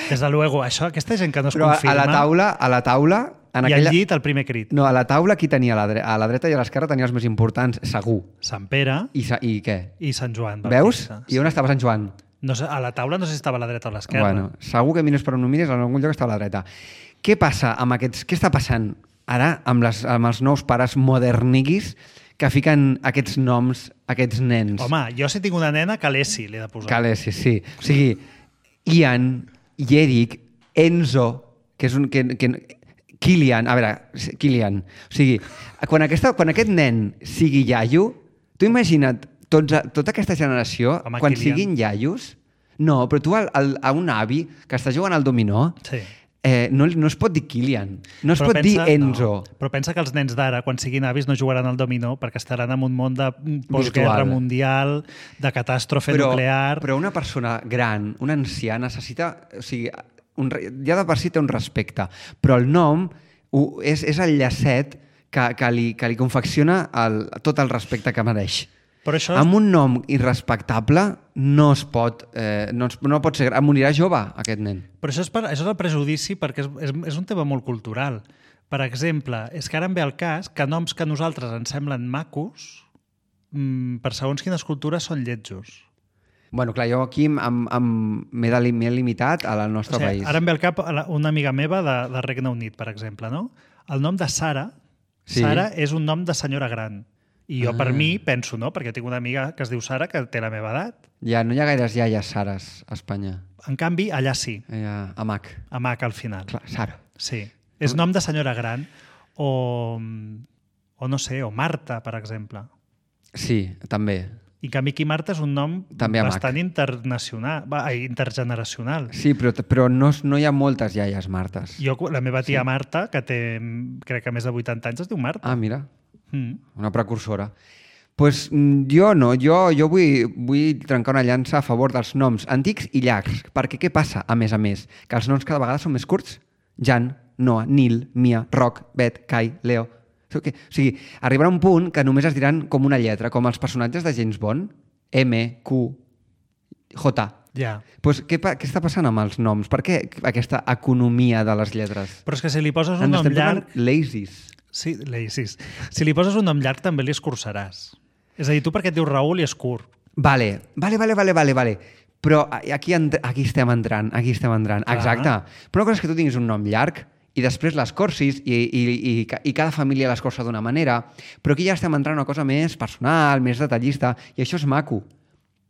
Des de luego, aquesta gent que no es Però confirma... a la taula... En I aquella... al llit el primer crit. No, a la taula qui tenia a la dreta i a l'esquerra tenia els més importants, segur. Sant Pere I què? i Sant Joan Veus? Baptista. I on estava Sant Joan? No sé, a la taula no sé si estava a la dreta o a l'esquerra. Bueno, segur que mires per on no mires, en algun lloc estava a la dreta. Què passa amb aquests... Què està passant ara amb els nous pares moderniguis que fiquen aquests noms, aquests nens? Home, jo si tinc una nena, Calesi li he de posar. Calesi, sí. O sigui, Ian, Eric, Enzo, que és un... Kilian, a veure, Kilian. O sigui, quan aquest nen sigui iaio, tu imagina't tota aquesta generació, Home, quan Kilian. siguin iaios... No, però tu a un avi que està jugant al dominó, Sí. no es pot dir Kilian, no es Però pot dir Enzo. No. Però pensa que els nens d'ara, quan siguin avis, no jugaran al dominó perquè estaran en un món de postguerra Virtual. mundial, de catàstrofe nuclear... Però una persona gran, un ancià, necessita... O sigui, ja de per si té un respecte, però el nom és el llacet que li confecciona tot el respecte que mereix. Però això Amb un nom irrespectable no es pot... no pot ser... Morirà jove, aquest nen. Però això és el prejudici perquè és un tema molt cultural. Per exemple, és que ara em ve el cas que noms que a nosaltres ens semblen macos, per segons quines cultures són lletjos. Bueno, clar, jo aquí m'he limitat al nostre país. Ara em ve al cap una amiga meva de Regne Unit, per exemple, no? El nom de Sara, Sí. Sara és un nom de senyora gran. I jo, per mi, penso, no? Perquè tinc una amiga que es diu Sara, que té la meva edat. Ja, no hi ha gaires iaies Sares a Espanya. En canvi, allà sí, A Mac. a Mac al final. Clar, Sara. Sí. És nom de senyora gran. O no sé, o Marta, per exemple. Sí, també. I en canvi aquí Marta és un nom També a Mac. bastant intergeneracional. Sí, però no hi ha moltes iaies Martes. La meva tia Marta, que té, crec que més de 80 anys, es diu Marta. Ah, mira, Mm. una precursora. Pues jo no, jo vull trencar una llança a favor dels noms antics i llargs, perquè què passa, a més, que els noms cada vegada són més curts? Jan, Noah, Nil, Mia, Roc, Bet, Kai, Leo... O sigui, arribarà un punt que només es diran com una lletra, com els personatges de James Bond, M, Q, J. Ja. Pues, què està passant amb els noms? Per què aquesta economia de les lletres? Però és que si li poses un Ens nom estem llarg... tornant lazies. Sí, lazies. Si li poses un nom llarg també li escurçaràs. És a dir, tu perquè et dius Raül i és curt. Vale. Però aquí estem entrant. Clar. Exacte. Però una cosa és que tu tinguis un nom llarg i després l'escorcis i cada família l'escorça d'una manera, però aquí ja estem entrant en una cosa més personal, més detallista, i això és maco.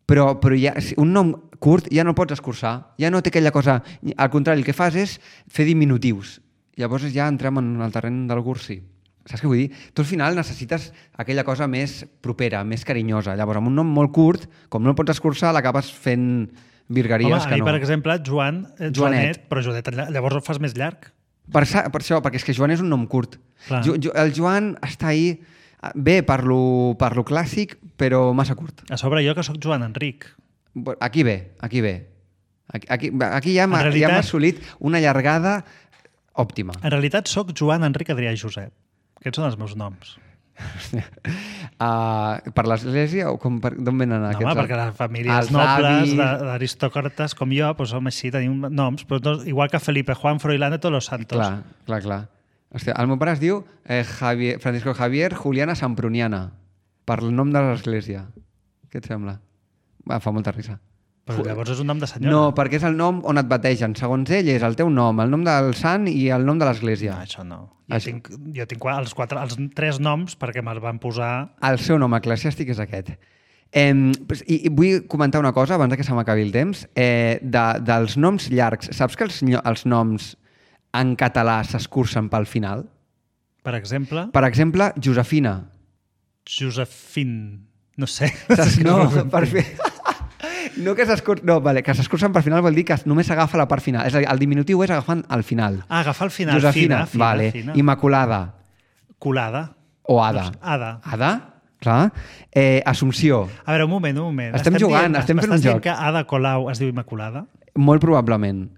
Però ja, un nom curt ja no pots escurçar, ja no té aquella cosa... Al contrari, el que fas és fer diminutius. Llavors ja entrem en el terreny del gursi. Saps què vull dir? Tu al final necessites aquella cosa més propera, més carinyosa. Llavors, amb un nom molt curt, com no el pots escurçar, l'acabes fent virgueries Home, a que mi, no. per exemple, Joanet, però Joanet llavors el fas més llarg. Per això, perquè és que Joan és un nom curt. Clar. El Joan està ahí bé per lo clàssic, però massa curt. A sobre jo que sóc Joan Enric. Aquí ve. Aquí ja hem realitat- assolit una llargada òptima. En realitat sóc Joan Enric Adrià i Josep. Aquests són els meus noms. Per l'església o d'on venen aquests? Home, perquè les famílies Els nobles, avis. d'aristòcrates com jo, doncs som així, tenim noms, però no, igual que Felipe, Juan, Froilán i tots los santos. Clar. Hòstia, el meu pare es diu Francisco Javier Juliana Sampruniana, per el nom de l'església. Què et sembla? Fa molta risa. Però llavors és un nom de senyora. No, perquè és el nom on et bategen. Segons ell és el teu nom, el nom del sant i el nom de l'església. No, això no. Jo tinc els 3 noms perquè me'ls van posar... El seu nom eclesiàstic és aquest. I vull comentar una cosa abans que se m'acabi el temps. Dels noms llargs, saps que els noms en català s'escurcen pel final? Per exemple, Per exemple, Josefina. Josefín. No sé. No, per fi... No que s'escurcen... No, vale, que s'escurcen per final vol dir que només s'agafa la part final. És a dir, el diminutiu és agafant al final. Ah, agafar el final. Josefina, Fina, vale. fina. Immaculada. Colada. O Ada. Ada. Ada? Clar. Assumpció. A veure, un moment. Estem jugant, estem fent un M'estàs dient joc. que Ada Colau es diu Immaculada? Molt probablement.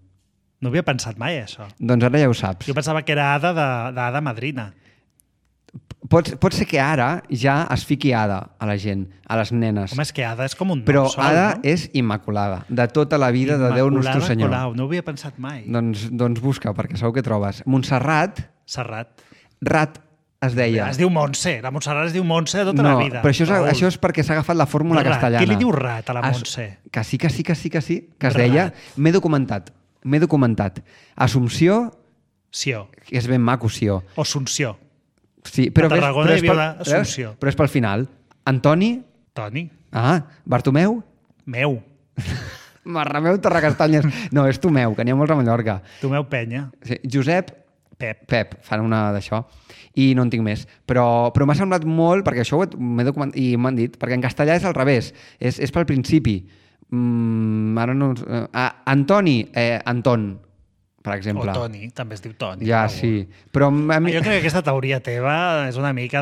No havia pensat mai, això. Doncs ara ja ho saps. Jo pensava que era Ada d'Ada Madrina. Pot ser que ara ja es fiqui Ada a la gent, a les nenes. Home, és que Ada és com un nom Però sol, Ada no? és immaculada, de tota la vida de Déu Nostre Immaculada Senyor. Colau, no ho havia pensat mai. Doncs busca, perquè segur que trobes. Montserrat, Serrat. Rat es deia. Es diu Montse. La Montserrat es diu Montse de tota la vida. Però això Raül. és perquè s'ha agafat la fórmula Rat. castellana. Qui li diu rat a la Montse? Que sí, que es Rat. deia. M'he documentat. Assumpció, Sió. que és ben maco, Sió. O Sunció. Sí, però, A Tarragona hi havia una veus? Assumpció. Però és pel final. Antoni, Toni. Bartomeu, Meu. Marrameu Torrecastanyes. No, és Tomeu, que n'hi ha molts a Mallorca. Tomeu Penya. Sí, Josep, Pep. fan una d'això. I no en tinc més. Però m'ha semblat molt, perquè això m'he documentat, i m'han dit, perquè en castellà és al revés, és pel principi. Ara no... Antoni, Anton, per exemple. O Toni, també es diu Toni. Ja, per favor. sí. Però a mi... Jo crec que aquesta teoria teva és una mica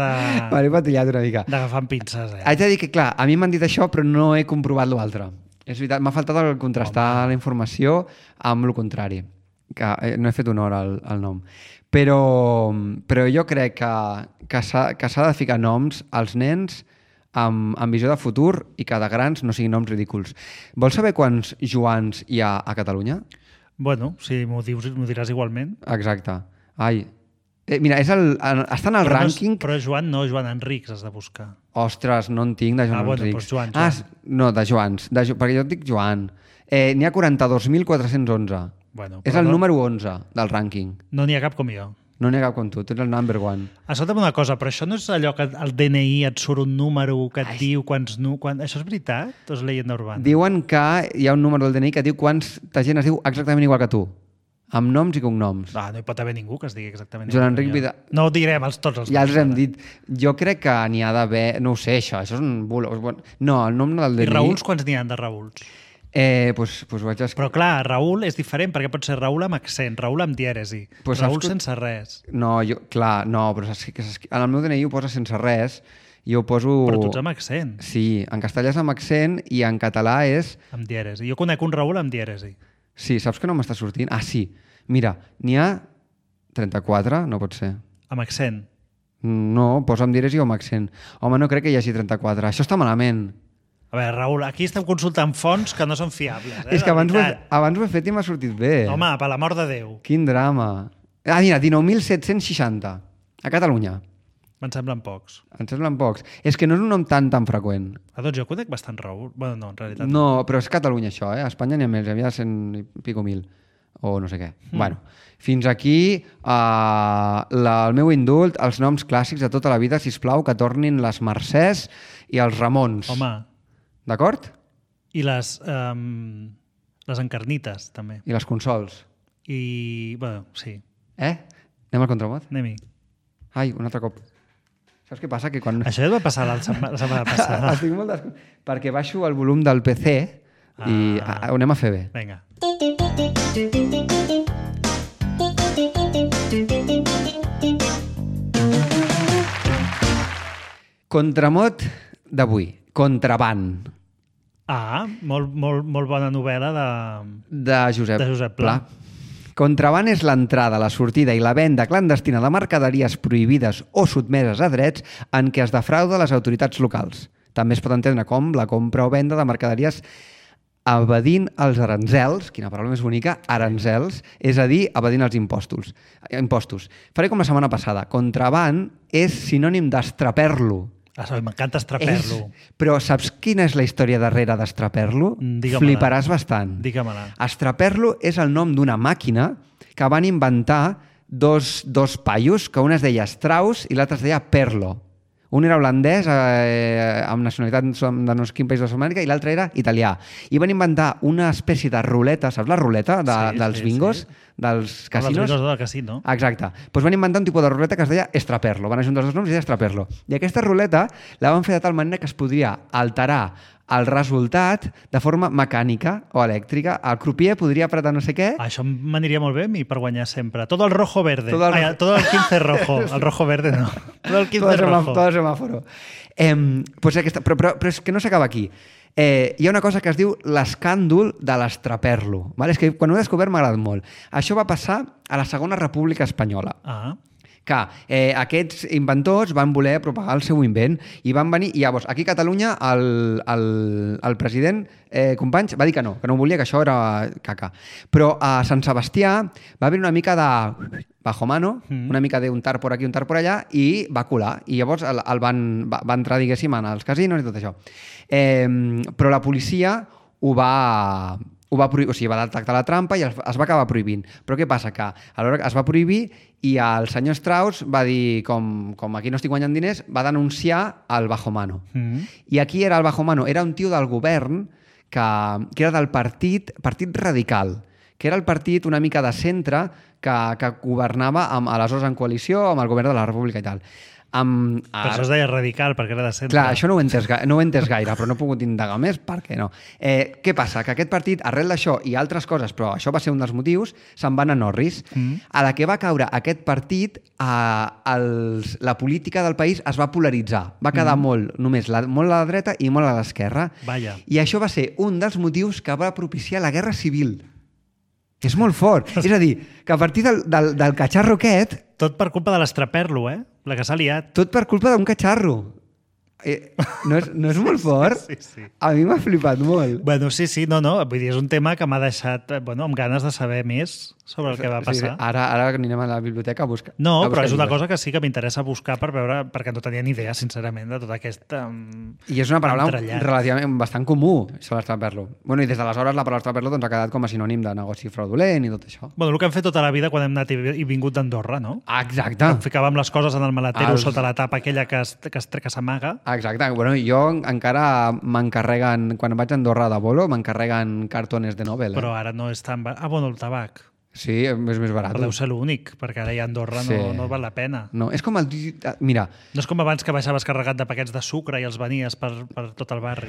M'he patillat una mica. d'agafar amb pinces, Haig de dir que, clar, a mi m'han dit això, però no he comprovat l'altre. És veritat, m'ha faltat el contrastar la informació amb el contrari. Que no he fet honor al nom. Però jo crec que s'ha de ficar noms als nens amb visió de futur i que de grans no siguin noms ridículs. Vols saber quants Joans hi ha a Catalunya? Bueno, si m'ho diràs igualment. Exacte. Ai. Mira, està en el rànquing... Però Joan no, Joan Enrics has de buscar. Ostres, no en tinc de Joan bueno, Enrics. doncs Joan. No, de Joans. Perquè jo et dic Joan. N'hi ha 42.411. Bueno, És el número 11 del rànquing. No n'hi ha cap com jo. No n'hi ha cap com tu ets el number one. Escolta'm una cosa, però això no és allò que al DNI et surt un número que et diu quants... Això és veritat? O és leyenda urbana? Diuen que hi ha un número del DNI que diu quanta gent es diu exactament igual que tu. Amb noms i cognoms. No hi pot haver ningú que es digui exactament Joan igual que Enric jo. Vidal. No ho direm tots els Ja noms, els hem ara. dit. Jo crec que n'hi ha d'haver... No ho sé, això és un bulo. No, el nom del DNI... I Raüls, quants n'hi ha de Raüls? Pues vaig escriure. Però clar, Raül és diferent perquè pot ser Raül amb accent, Raül amb dièresi, Pues Raül saps que- sense res. No, però en el meu DNI ho posa sense res i ho poso... Però tu ets amb accent, Sí, en castellà és amb accent i en català és... amb dièresi. Jo conec un Raül amb dièresi. Sí, saps que no m'està sortint? Sí. Mira, n'hi ha 34, no pot ser. Amb accent. No, posa amb dièresi o amb accent. Home, no crec que hi hagi 34. Això està malament. A veure, Raül, aquí estem consultant fonts que no són fiables. És que de abans veritat. ho he fet i m'ha sortit bé. Home, per l'amor de Déu. Quin drama. Mira, 19.760 a Catalunya. Me'n semblen pocs. Em semblen pocs. És que no és un nom tan freqüent. Doncs jo conec bastant Raül. Bueno, no, en realitat. No, però és Catalunya això, eh? A Espanya n'hi ha més, hi havia 100 i pico mil. O no sé què. Bueno, fins aquí el meu indult, els noms clàssics de tota la vida, sisplau, que tornin les Mercès i els Ramons. Home, D'acord? i les encarnites, també. I les consols. I, bueno, sí. Anem al contramot? Anem-hi. Ai, un altre cop. Saps què passa? Que quan... Això ja et va passar la setmana passada. Estic molt perquè baixo el volum del PC i ho anem a fer bé. Vinga. Contramot d'avui. Contraband. Molt bona novel·la De Josep Pla. Contraband és l'entrada, la sortida i la venda clandestina de mercaderies prohibides o sotmeses a drets en què es defrauda les autoritats locals. També es pot entendre com la compra o venda de mercaderies evadint els aranzels, quina paraula més bonica, aranzels, és a dir, evadint els impostos. Faré com la setmana passada. Contraband és sinònim d'estraper-lo. M'encanta estraper-lo. Però saps quina és la història darrere d'estraper-lo? Digue-me-la. Fliparàs bastant. Digue-me-la. Estraper-lo és el nom d'una màquina que van inventar dos paios, que un es deia Strauss i l'altre es deia Perlo. Un era holandès, amb nacionalitat de no sé quin país de Sud-amèrica, i l'altre era italià. I van inventar una espècie de ruleta, saps la ruleta dels bingos, dels casinos? Els bingos del casino. Exacte. Doncs van inventar un tipus de ruleta que es deia Estraperlo. Van ajuntar els dos noms i deia Estraperlo. I aquesta ruleta la van fer de tal manera que es podria alterar el resultat de forma mecànica o elèctrica. El crupier podria apretar no sé què. Això m'aniria molt bé a mi per guanyar sempre. Todo el rojo verde. Todo el 15 rojo. El rojo verde no. Del quince rojo. Todo semàforo. Pues però és que no s'acaba aquí. Hi ha una cosa que es diu l'escàndol de l'estraperlo. Vale? És que quan ho he descobert m'ha agradat molt. Això va passar a la Segona República Espanyola. Que aquests inventors van voler propagar el seu invent i van venir, i llavors aquí a Catalunya el president Companys va dir que no volia, que això era caca. Però a Sant Sebastià va haver una mica de bajo mano, una mica d'un tard por aquí, un tard por allà, i va colar. I llavors va entrar, diguéssim, als casinos i tot això. Però la policia ho va prohibir, o sigui, va detectar la trampa i es va acabar prohibint. Però què passa? Que alhora es va prohibir i el senyor Strauss va dir, com aquí no estic guanyant diners, va denunciar el bajo mano. I aquí era el bajo mano, era un tio del govern que era del partit radical, que era el partit una mica de centre que governava aleshores en coalició amb el govern de la República i tal. Per això es deia radical, perquè era de centre. Clar, això no ho he entès gaire, però no he pogut indagar més, perquè no. Què passa? Que aquest partit, arrel d'això i altres coses, però això va ser un dels motius, se'n van a Norris. A la que va caure aquest partit, la política del país es va polaritzar. Va quedar molt a la dreta i molt a l'esquerra. I això va ser un dels motius que va propiciar la Guerra Civil. És molt fort. És a dir, que a partir del catxarro aquest... Tot per culpa de l'estraperlo, la que s'ha liat. Tot per culpa d'un catxarro. No és molt fort? Sí. A mi m'ha flipat molt. Bueno, sí, no. Vull dir, és un tema que m'ha deixat amb ganes de saber més sobre el que va passar. Sí. Ara anirem a la biblioteca a buscar. No, però és una cosa que sí que m'interessa buscar per veure, perquè no tenia ni idea, sincerament, de tot aquest I és una paraula relativament bastant comú, això l'estraperlo. Bueno, i des d'aleshores la paraula estraperlo ha quedat com a sinònim de negoci fraudulent i tot això. Bueno, el que hem fet tota la vida quan hem anat i vingut d'Andorra, no? Exacte. Em ficàvem les coses en el maletero sota la tapa aquella que s'amaga. Exacte. Bueno, jo encara m'encarreguen, quan vaig a Andorra de bolo, m'encarreguen cartones de Nobel. Però ara no és tan... bueno, el tabac. Sí, és més barat. Però deu ser l'únic, perquè ara ja a Andorra no val la pena. No, és com el... Mira... No és com abans que baixaves carregat de paquets de sucre i els venies per tot el barri.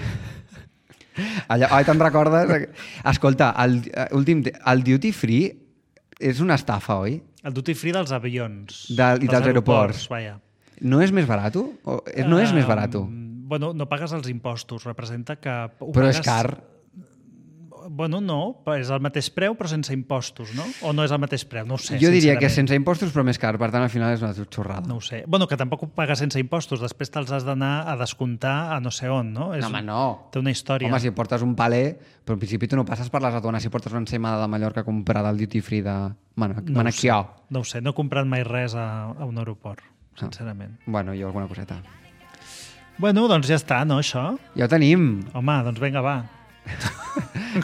Te'n recordes? Escolta, el duty free és una estafa, oi? El duty free dels avions. I dels aeroports. Vaja. No és més barat? No és més barat? Bueno, no pagues els impostos. Representa que... Però és car. Bueno, no, és el mateix preu però sense impostos, no? O no és el mateix preu? No ho sé. Jo diria que sense impostos però més car, per tant al final és una xorrada. No ho sé. Bueno, que tampoc ho pagues sense impostos, després te'ls has d'anar a descomptar a no sé on, no? No, home, no. Té una història. Home, si portes un paler, però en principi tu no passes per les aduanes si portes una ensaïmada de Mallorca comprada al duty free de Manaquià. No ho sé, no he comprat mai res a un aeroport, sincerament. Bueno, jo alguna coseta. Bueno, doncs ja està, no, això? Ja ho tenim. Home, doncs vinga, va.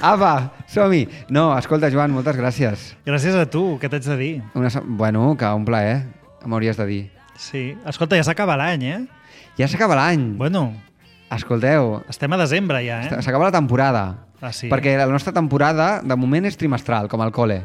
Apa, som-hi. No, escolta, Joan, moltes gràcies. Gràcies a tu, què t'haig de dir? Bueno, que un plaer, m'hauries de dir. Sí. Escolta, ja s'acaba l'any, Ja s'acaba l'any. Bueno. Escolteu. Estem a desembre ja, S'acaba la temporada. Sí. Perquè la nostra temporada, de moment, és trimestral, com al cole.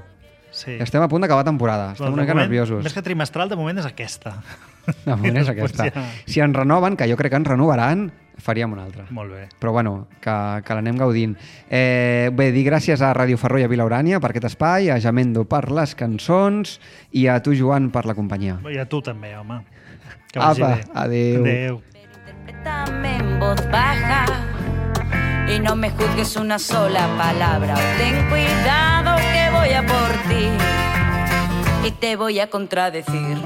Sí. Estem a punt d'acabar temporada. Estem una mica nerviosos. Més que trimestral, de moment és aquesta. De moment és aquesta. Si ens renoven, que jo crec que ens renovaran, faríem una altra. Molt bé. Però bueno, que l'anem gaudint. Bé, dir gràcies a Ràdio Ferró i a Vila Urània per aquest espai, a Jamendo per les cançons i a tu, Joan, per la companyia. I a tu també, home. Que vagi bé. Adéu. Adéu. Interprétame en voz baja y no me juzgues una sola palabra. Ten cuidado que voy a por ti y te voy a contradecir.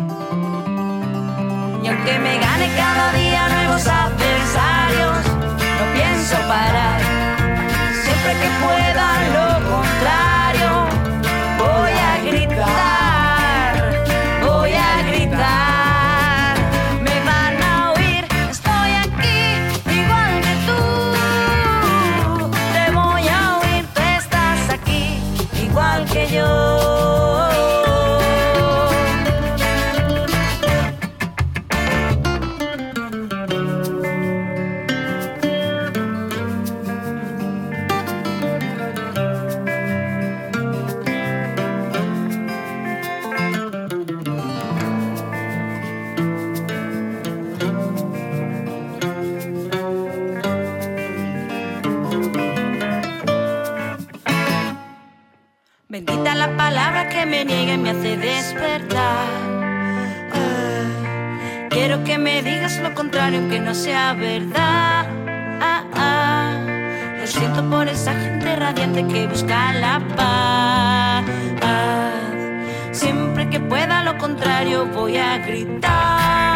Y aunque me gane cada día nuevos adversarios, no pienso parar. Siempre que pueda lo contrario, voy a gritar, voy a gritar. Me van a oír, estoy aquí, igual que tú. Te voy a oír, tú estás aquí, igual que yo. Bendita la palabra que me niega y me hace despertar. quiero que me digas lo contrario, aunque no sea verdad. Lo siento por esa gente radiante que busca la paz. Siempre que pueda lo contrario voy a gritar.